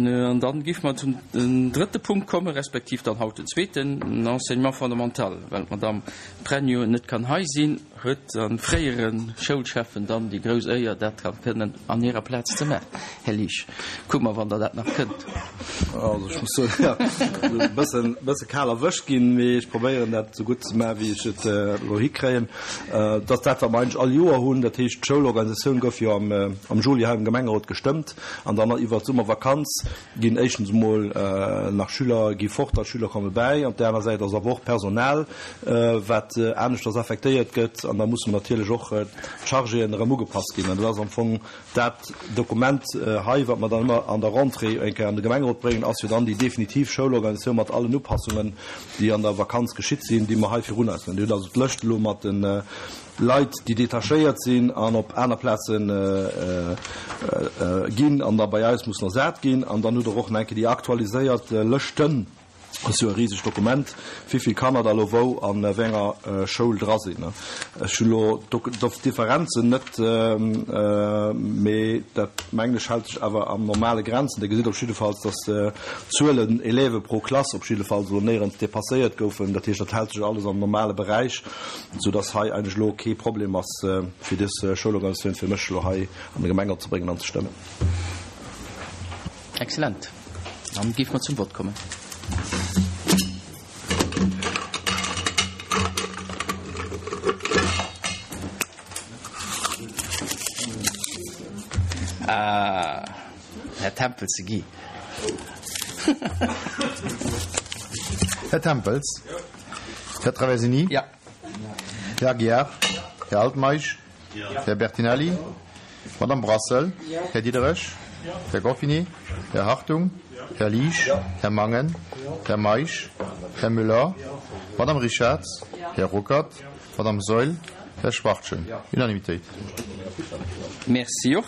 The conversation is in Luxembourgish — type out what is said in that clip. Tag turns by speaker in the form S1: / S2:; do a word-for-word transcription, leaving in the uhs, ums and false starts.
S1: An dann géife mer zum drëtte Punkt kommen, respektiv dann haut den zweeten, den Enseignement fondamental. Well d'Madame Pregno net kann hei sinn, huet de fréiere Schoulschäffen dann déi grouss Éier, dat kann kënnen an hirer Plaz ze maachen. Här Liesch, kucke mer, wann Der dat nach kënnt.
S2: Also ech muss soen, jo, e bëssen, bësse kal erwëscht ginn, mee ech probéieren dat esou gutt ze maachen, wéi ech et elo hikréien. Dat ass dat, wat mer eigentlech all Joer hunn. Dat heescht, d'Schoulorganisatioun gouf jo am, am Juli hei am Gemengerot gestëmmt an dann iwwert d'Summervakanz ginn éischtens emol nach Schüler gi fort a Schüler komme bäi. Op där aner Säit ass awer och Personal, wat aneschters affektéiert gëtt an da musse natierlech och d'Chargéen erëm ugepasst ginn. An dat ass am Fong dat Dokument hei, wat mer dann ëmmer an der Rentrée eng Kéier an de Gemengerot bréngen, ass jo dann déi definitiv Schoulorganisatioun mat allen Upassungen, déi an der Vakanz geschitt sinn, déi mer hei virun eis hunn. Dir hutt also d'Lëscht elo mat de Leit, déi detachéiert sinn an op aner Plaze ginn an da bei eis mussen ersat ginn. An dann hutt Der och nach eng Kéier déi aktualiséiert Lëschten. Dat ass jo e risegt Dokument, wéi vill Kanner da elo wou a wéi enger Schoul dra sinn. Ech hunn elo d'Differenzen net, mee dat, mengen ech, hält sech awer an normale Grenzen. Dir gesitt op jiddefalls, dass d'Zuelen Élève pro Klass op jiddefalls elo néierens dépasséiert goufen. Dat heescht, dat hält sech alles am normale Beräich, soudass hei eigentlech elo kee Problem ass, fir dës Schoulorganisatioun fir mech elo hei an de Gemengerot ze bréngen an ze stëmmen.
S1: Excellent. Dann géife mer zum Vott kommen. Ah, Här Tempels, de Guy.
S3: Här Tempels. Här Traversini.
S1: Ja.
S3: Här Aguiar. Här Altmeisch. Här Bertinelli. Madame Brassel. Här Diderich. Här Goffini. Här Hartung. Här Liesch. Här Mangen. Här Meisch. Här Müller. Madame Richarz. Här Ruckert. Madame Saeul. Här Schwachtgen. Unanimitéit.
S1: Merci och.